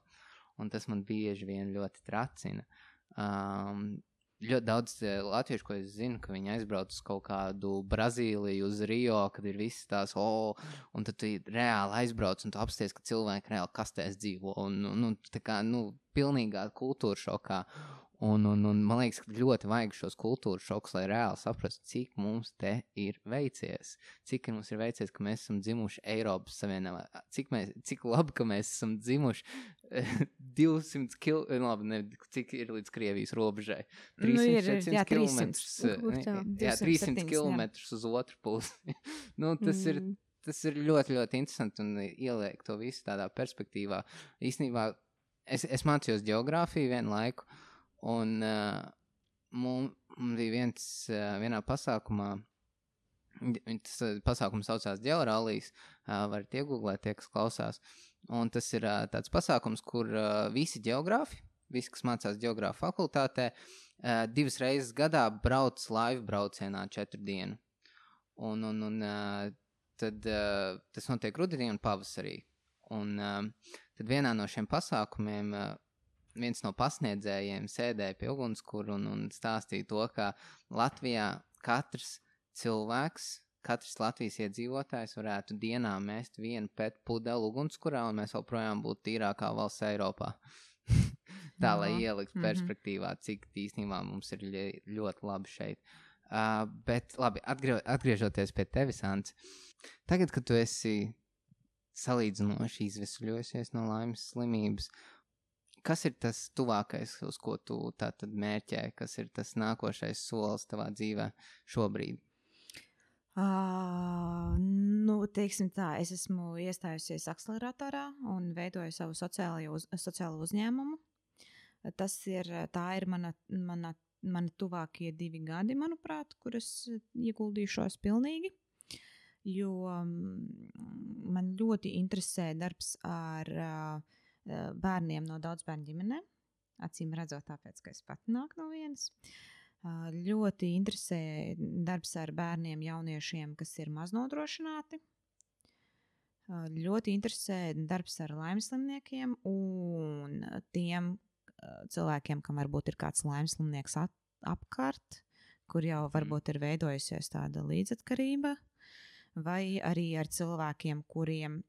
Un tas man bieži vien ļoti tracina. Um, ļoti daudz latviešu, ko es zinu, ka viņi aizbrauc uz kaut kādu Brazīliju, uz Rio, kad ir viss tās, o, un tad tu reāli aizbrauc un tu apsties, ka cilvēki reāli kastēs dzīvo. Un, un, un tā kā, nu, pilnīgā kultūra šokā. Un, un, un man liekas, ka ļoti vajag šos kultūras šokus, lai reāli saprastu, cik mums te ir veicies. Cik mums ir veicies, ka mēs esam dzimuši Eiropas Savienībā. Cik, mēs, cik labi, ka mēs esam dzimuši divsimt kilometrus, labi, ne, cik ir līdz Krievijas robežai. trīsimt, četrsimt kilometrus. Jā, trīsimt kilometrus uz otru pusi. Nu, tas mm. ir, tas ir ļoti, ļoti interesanti un ieliek to visu tādā perspektīvā. Īstenībā, es, es mācījos ģeogrāfiju vienu laiku, un uh, mums bija viens, uh, vienā pasākumā, tas uh, pasākums saucās Ģeorālijas, uh, varat iegooglēt tie, kas klausās, un tas ir uh, tāds pasākums, kur uh, visi ģeogrāfi, visi, kas mācās ģeogrāfu fakultātē, uh, divas reizes gadā brauc laivu braucienā četru dienu. Un, un, un uh, tad uh, tas notiek rudenī un pavasarī. Un uh, tad vienā no šiem pasākumiem uh, viens no pasniedzējiem sēdēja pie ugunskura un, un stāstīja to, ka Latvijā katrs cilvēks, katrs Latvijas iedzīvotājs varētu dienā mest vienu pet pudeli ugunskurā, un mēs joprojām būtu tīrākā valsts Eiropā. Tā, lai ielikt mm-hmm. perspektīvā, cik īstenībā mums ir ļoti labi šeit. Uh, bet labi, atgrie, atgriežoties pie tevis, Ants, tagad, kad tu esi salīdzinoši izvesaļojusies no laimes slimības, kas ir tas tuvākais, uz ko tu tātad mērķē, kas ir tas nākošais solis tavā dzīvē šobrīd?
Uh, nu, teiksim tā, es esmu iestājusies akceleratorā un veidoju savu sociālo, uz, sociālo uzņēmumu. Tas ir, tā ir mana, mana, mana tuvākie divi gadi, manuprāt, kur es ieguldīšos pilnīgi, jo um, man ļoti interesē darbs ar uh, bērniem no daudzbērnu ģimenēm, acīm redzot tāpēc, ka es pati nāku no vienas. Ļoti interesē darbs ar bērniem, jauniešiem, kas ir maznodrošināti. Ļoti interesē darbs ar laimeslimniekiem un tiem cilvēkiem, kam varbūt ir kāds laimeslimnieks apkārt, kur jau varbūt ir veidojusies tāda līdzatkarība, vai arī ar cilvēkiem, kuriem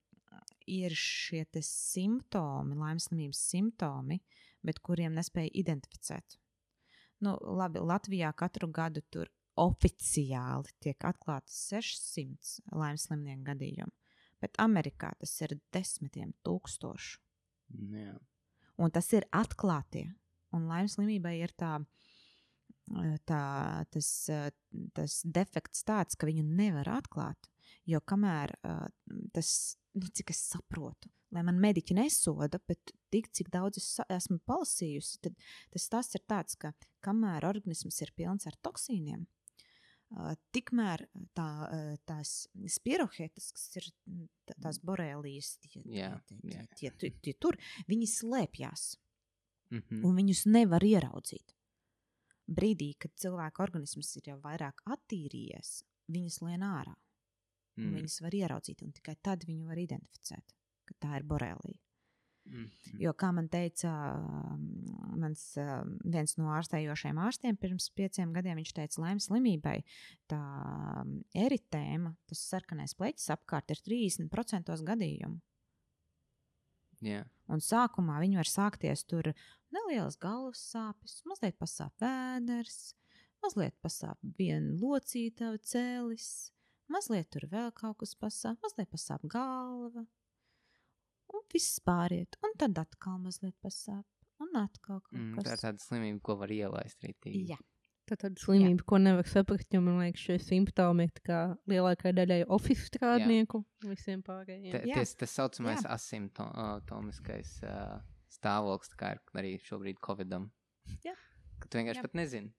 ir šie te simptomi, laimeslimības simptomi, bet kuriem nespēja identificēt. Nu, labi, Latvijā katru gadu tur oficiāli tiek atklāti sešsimt laimeslimnieku gadījumu, bet Amerikā tas ir desmitiem tūkstošu.
Jā.
Un tas ir atklātie. Un laimeslimībai ir tā, tā, tas, tas defekts tāds, ka viņu nevar atklāt, jo kamēr tas, nu, cik es saprotu, lai man mediķi nesoda, bet tik, cik daudz es esmu palasījusi, tad tas tas ir tāds, ka kamēr organisms ir pilns ar toksīniem, uh, tikmēr tā, uh, tās spirohetas, kas ir tās borelijas, tie,
yeah,
tie,
yeah.
tie, tie, tie tur, viņi slēpjās,
mm-hmm.
un viņus nevar ieraudzīt. Brīdī, kad cilvēka organisms ir jau vairāk attīrījies, viņas lien ārā. Un mm. viņas var ieraudzīt, un tikai tad viņu var identificēt, ka tā ir borelija. Mm. Jo, kā man teica mans viens no ārstējošiem ārstiem pirms pieciem gadiem, viņš teica, laimes slimībai tā eritēma, tas sarkanais pleķis apkārt ir trīsdesmit procenti gadījumu.
Yeah.
Un sākumā viņi var sākties tur nelielas galvas sāpes, mazliet pasāp vēders, mazliet pasāp viena locīta cēlis, mazliet tur vēl kaut kas pasāp, mazliet pasāp galva, un viss pāriet, un tad atkal mazliet pasāp, un atkal kaut
mm,
kas.
Tā ir tāda slimība, ko var ielaist rītīgi.
Jā,
Tā tāda slimība, Jā. ko nevar saprast, jo man liekas, šie simptomi ir tā kā lielākai daļai office strādnieku Jā. visiem pārējiem.
T ties, tas saucamais asimptomiskais uh, stāvoklis, kā ir arī šobrīd Covidam.
Jā.
Ka tu vienkārši
Jā.
pat nezini.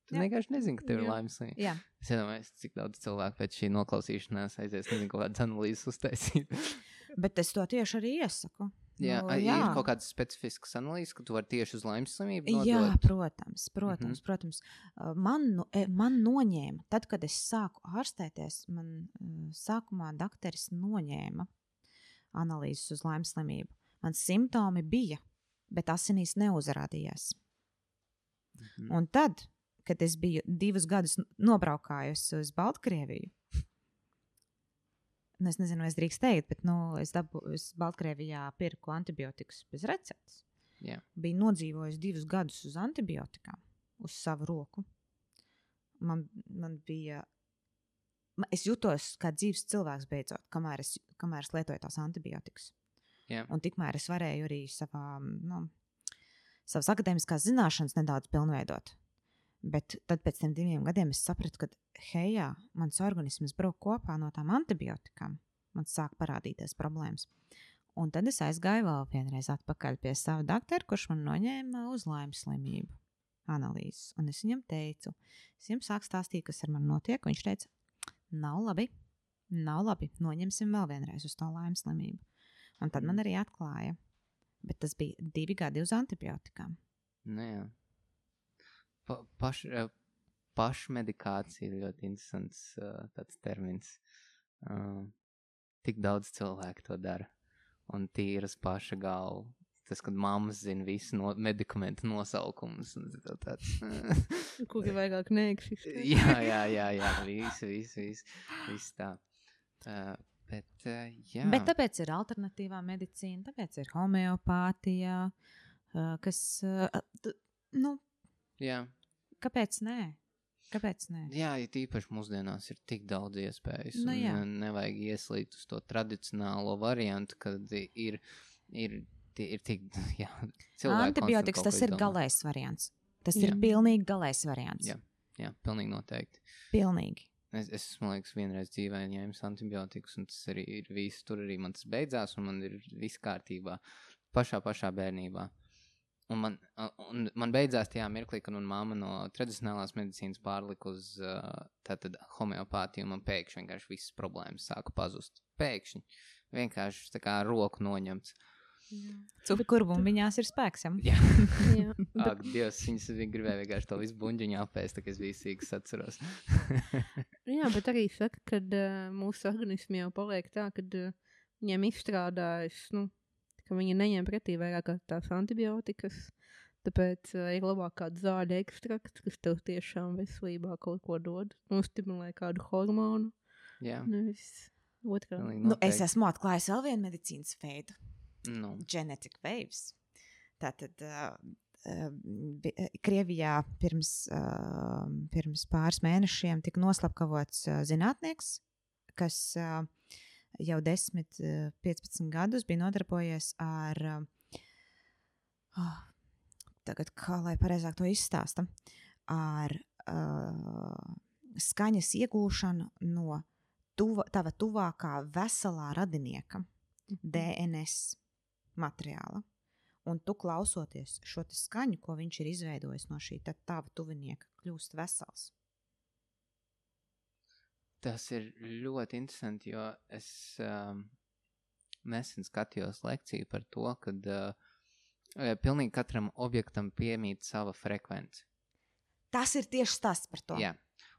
Tu
Jā.
vienkārši nezini, ka tev ir
Jā.
laimes slimība.
Jā.
Es iedomājos, cik daudz cilvēku pēc šī noklausīšanās aizies, nezinu, kaut kādas analīzes uztaisīt.
Bet es to tieši arī iesaku.
Jā,
Nu,
a,
jā.
ir kaut kādas specifiskas analīzes, ka tu vari tieši uz laimes slimību nodot.
Jā, protams, protams,
Mhm.
protams. Uh, Man, no- e, man noņēma, tad, kad es sāku ārstēties, man uh, sākumā dakteris noņēma analīzes uz laimes slimību. Man simptomi bija, bet asinīs neuzrādījās.
Mhm.
Un tad, kad es biju divus gadus n- nobraukājusi uz Baltkrieviju, nu, es nezinu, vai es drīkst teikt, bet nu, es, dabu, es Baltkrievijā pirku antibiotikas bez receptes.
Jā.
Biju nodzīvojis divus gadus uz antibiotikām, uz savu roku. Man, man bija. ma- Es jutos kā dzīves cilvēks beidzot, kamēr es, kamēr es lietoju tās antibiotikas.
Jā.
Un tikmēr es varēju arī savā, nu, savas akadēmiskās zināšanas nedaudz pilnveidot. Bet tad pēc tam diviem gadiem es sapratu, ka, hei, jā, mans organisms brauc kopā no tām antibiotikām. Man sāk parādīties problēmas. Un tad es aizgāju vēl vienreiz atpakaļ pie sava doktora, kurš man noņēma uz laimes slimību analīzes. Un es viņam teicu, es viņam sāku stāstīt, kas ar mani notiek. Viņš teica, nav labi, nav labi, noņemsim vēl vienreiz uz to laimes slimību. Un tad man arī atklāja, bet tas bija divi gadi uz antibiotikām.
Nu, jā. Pa, paš, eh, pašmedikācija ir ļoti interesants uh, tāds termins. Uh, tik daudz cilvēku to dara. Un tīras paša galva. Tas, kad mammas zina visu no, medikamentu nosaukumus. Un tā tāds.
Kuri vairāk neeksistē.
jā, jā, jā, jā. Visu, visu, visu. Visu tā. Uh, bet, uh, jā.
Bet tāpēc ir alternatīvā medicīna, tāpēc ir homeopātija, uh, kas, uh, t- nu,
Jā.
kāpēc nē? Kāpēc nē?
Jā, ja tīpaši mūsdienās ir tik daudz iespējas.
Nu, jā.
un nevajag ieslīgt uz to tradicionālo variantu, kad ir, ir, ir tik, jā, cilvēki
Antibiotikas
konstant
tas
kaut ko
ir
izdomā.
galējs variants. Tas
Jā.
ir pilnīgi galējs variants.
Jā. Jā, pilnīgi noteikti.
Pilnīgi.
Es, es man liekas, vienreiz dzīvē ņēmis antibiotikas, un tas arī ir viss. Tur arī man tas beidzās, un man ir viss kārtībā. Pašā, pašā bērnībā. Un man, un man beidzās tajā mirklī, kad man mamma no tradicionālās medicīnas pārlika uz uh, tātad homeopātiju, un man pēkšņi vienkārši visas problēmas sāka pazust. Pēkšņi. Vienkārši tā kā roku noņemts.
Cukurbumbiņās ir spēks. Ja?
Jā.
Jā.
Ak, Dievs, viņas gribēja vienkārši to visu buņģiņu apēst, tā kā es visu sīkas atceros.
Jā, bet arī saka, ka uh, mūsu organismi jau paliek tā, ka uh, viņiem izstrādājas, nu, ka viņi neņem pretī vairāk kā tās antibiotikas. Tāpēc uh, ir labāk kāds zāļu ekstrakts, kas tev tiešām veselībā kaut ko dod. Nostimulē kādu hormonu.
Jā.
Nevis otrā.
Pilnīgi
Nu, es
noteikti.
esmu atklājis vēl vienu medicīnas veidu.
Nu,
Genetic waves. Tātad uh, uh, bi- uh, Krievijā pirms, uh, pirms pāris mēnešiem tika noslapkavots uh, zinātnieks, kas uh, jau desmit, uh, piecpadsmit gadus bija nodarbojies ar, uh, oh, tagad kā lai pareizāk to izstāsta, ar uh, skaņas iegūšanu no tuva, tava tuvākā veselā radinieka D N S materiāla. Un tu klausoties šo te skaņu, ko viņš ir izveidojis no šī tad tava tuvinieka, kļūst vesels.
tas ir ļoti interesanti, jo es um, nesen skatījos lekciju par to, kad uh, pilnīgi katram objektam piemīt sava frekvence.
Tas ir tieši stāsts par to.
Jā,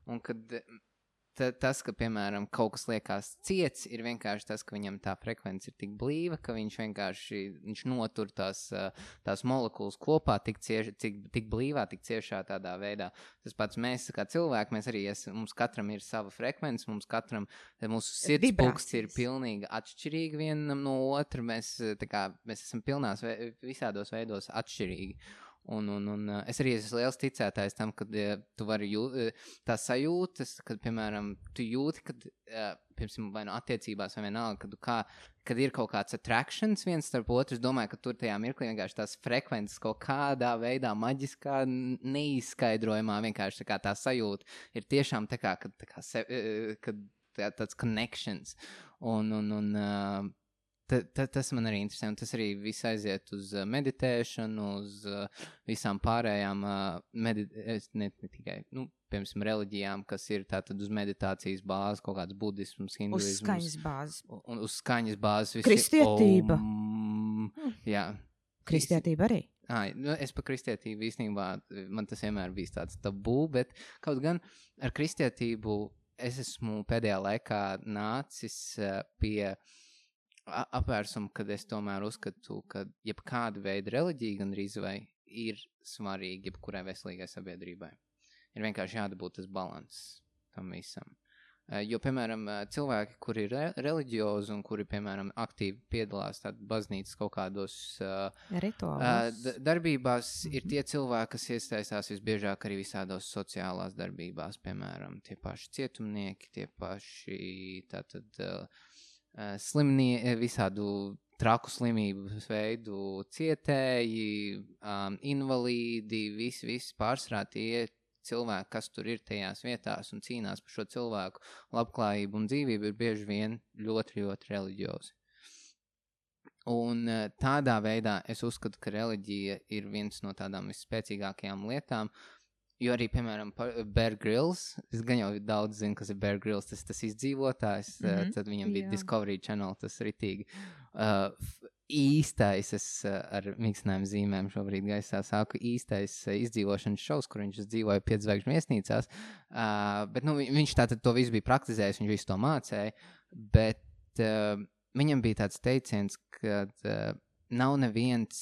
un kad ta, tas, ka, piemēram, kaut kas liekas ciets, ir vienkārši tas, ka viņam tā frekvence ir tik blīva, ka viņš vienkārši viņš notur tās, tās molekulas kopā tik, cieši, tik, tik blīvā, tik ciešā tādā veidā. Tas pats mēs, kā cilvēki, mēs arī esam, mums katram ir sava frekvence, mums katram, mūsu sirdspulksts ir pilnīgi atšķirīgi vienam no otra, mēs, tā kā, mēs esam pilnās, visādos veidos atšķirīgi. Un, un, un uh, es arī esmu liels ticētājs tam, ka uh, tu vari jūt, uh, tā sajūtas, kad, piemēram, tu jūti, kad, uh, piemēram, vai no attiecībās vai vienalga, kad, kā, kad ir kaut kāds attractions viens starp otru, es domāju, ka tur tajā mirklī vienkārši tās frekvences kaut kādā veidā maģiskā, neizskaidrojumā vienkārši tā kā tā sajūta ir tiešām tā kā, kad, tā kā se, uh, kad tā, tāds connections. Un, un, un uh, Ta, ta, tas man arī interesē, un tas arī viss aiziet uz uh, meditēšanu, uz uh, visām pārējām, uh, medit- ne, ne tikai, nu, piemēram, reliģijām, kas ir tātad uz meditācijas bāzes, kaut kāds budisms, hinduisms.
Uz skaņas bāzes.
Un uz skaņas bāzes. Visi,
Kristietība.
Om, jā.
Kristietība arī.
Ai, nu, es par kristietību īstenībā, man tas vienmēr bijis tāds tabū, bet kaut gan ar kristietību es esmu pēdējā laikā nācis uh, pie apvērsumu, kad es tomēr uzskatu, ka jebkāda veida reliģija gandrīz vai ir svarīga jebkurai veselīgai sabiedrībai. Ir vienkārši jādabūt tas balans tam visam. Jo, piemēram, cilvēki, kuri ir re- reliģiozi un kuri, piemēram, aktīvi piedalās tādu baznīcas kaut kādos uh,
Rituālos.
d- darbībās, mm-hmm. ir tie cilvēki, kas iesaistās visbiežāk arī visādos sociālās darbībās, piemēram, tie paši cietumnieki, tie paši tātad... Uh, slimnie, visādu traku slimību veidu cietēji, um, invalīdi, visi, visi pārsvarā tie cilvēki, kas tur ir tajās vietās un cīnās par šo cilvēku labklājību un dzīvību, ir bieži vien ļoti, ļoti reliģiozi. Un tādā veidā es uzskatu, ka reliģija ir viens no tādām visspēcīgākajām lietām. Jo arī, piemēram, Bear Grylls, es gan jau daudz zinu, kas ir Bear Grylls, tas tas izdzīvotājs, mm-hmm. tad viņam bija
Jā.
Discovery Channel, tas ritīgi. Uh, īstais, es uh, ar mīkstinājumu zīmēm šobrīd gaisā sāku, īstais uh, izdzīvošanas šovs, kur viņš dzīvoja piedzvaigžņu viesnīcās, uh, bet nu, viņš tātad to visu bija praktizējis, viņš visu to mācēja, bet uh, viņam bija tāds teiciens, ka uh, nav neviens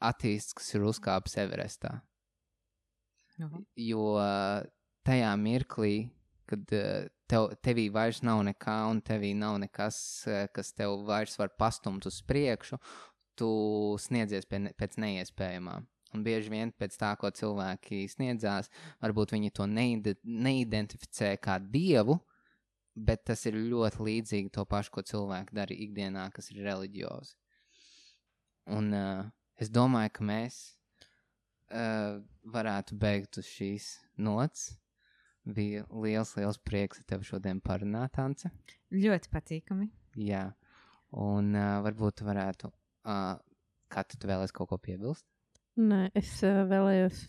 attīsts, kas ir uzkāpis Everestā.
Aha.
Jo tajā mirklī, kad tev, tevī vairs nav nekā un tevī nav nekas, kas tev vairs var pastumt uz priekšu, tu sniedzies pie, pēc neiespējamā. Un bieži vien pēc tā, ko cilvēki sniedzās, varbūt viņi to neide, neidentificē kā dievu, bet tas ir ļoti līdzīgi to pašu, ko cilvēki dara ikdienā, kas ir reliģiozi. Un uh, es domāju, ka mēs Uh, varētu beigt uz šīs nots. Bija liels, liels prieks ar tevi šodien parunāt, Ance.
Ļoti patīkami.
Jā, un uh, varbūt tu varētu, uh, kā tu vēlēs kaut ko piebilst?
Nē, es uh, vēlējos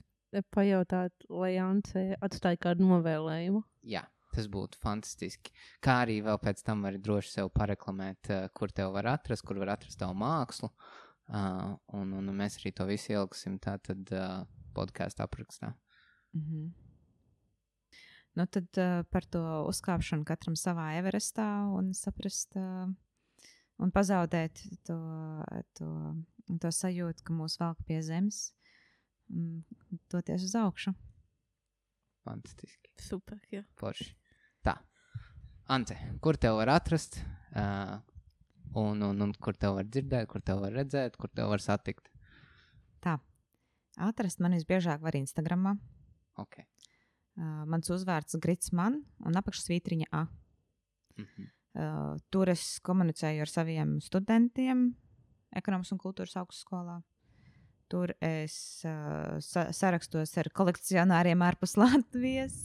pajautāt, lai Ance atstāja kādu novēlējumu.
Jā, tas būtu fantastiski. Kā arī vēl pēc tam vari droši sev pareklamēt, uh, kur tev var atrast, kur var atrast tavu mākslu. Uh, un, un mēs arī to visu ieliksim tātad uh, podcastu aprakstā.
Mm-hmm. Nu tad uh, par to uzkāpšanu katram savā Everestā un saprast uh, un pazaudēt to, to, to sajūtu, ka mūs velk pie zemes un doties uz augšu.
Fantastiski.
Super, jā.
Forši. Tā. Ante, kur tev var atrast? Uh, Un, un, un kur tev var dzirdēt, kur tev var redzēt, kur tev var satikt?
Tā. Atrast mani visbiežāk var Instagramā.
Ok.
Uh, mans uzvārds Grits man un apakšsvītriņa A.
Mm-hmm.
Uh, tur es komunicēju ar saviem studentiem ekonomikas un kultūras augstskolā. Tur es uh, sa- sarakstos ar kolekcionāriem ārpus Latvijas.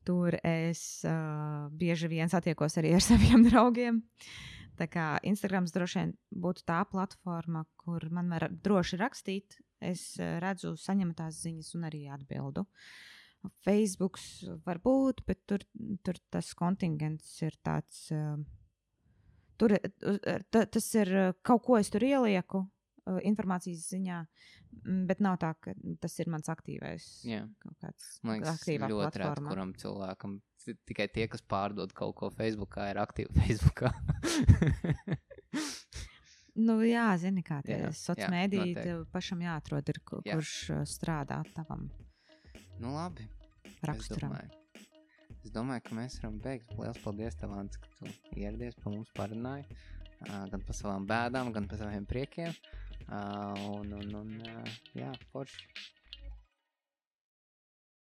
Tur es uh, bieži vien satiekos arī ar saviem draugiem. Tā kā Instagrams droši vien būtu tā platforma, kur man var droši rakstīt. Es redzu saņemtās ziņas un arī atbildu. Facebooks var būt, bet tur, tur tas kontingents ir tāds... Uh, tur, t, tas ir kaut ko es tur ielieku uh, informācijas ziņā, bet nav tā, ka tas ir mans aktīvais.
Jā.
Kaut kāds
Man liekas,
aktīvā
ļoti rēt,
platforma.
kuram cilvēkam tikai tie, kas pārdod kaut ko Facebookā, ir aktīvi Facebookā.
Nu jā, zini kā tie
Jā,
soc
jā,
mēdī,
noteikti.
tev pašam jāatrod, ir, ku-
Jā.
kurš uh, strādā tavam
Nu labi.
raksturam.
Es domāju, es domāju, ka mēs varam beigt. Liels paldies tev, Ants, ka tu ieradies pa mums parunāji. Uh, gan par savām bēdām, gan par saviem priekiem. Uh, un, un, un, uh, jā, forši.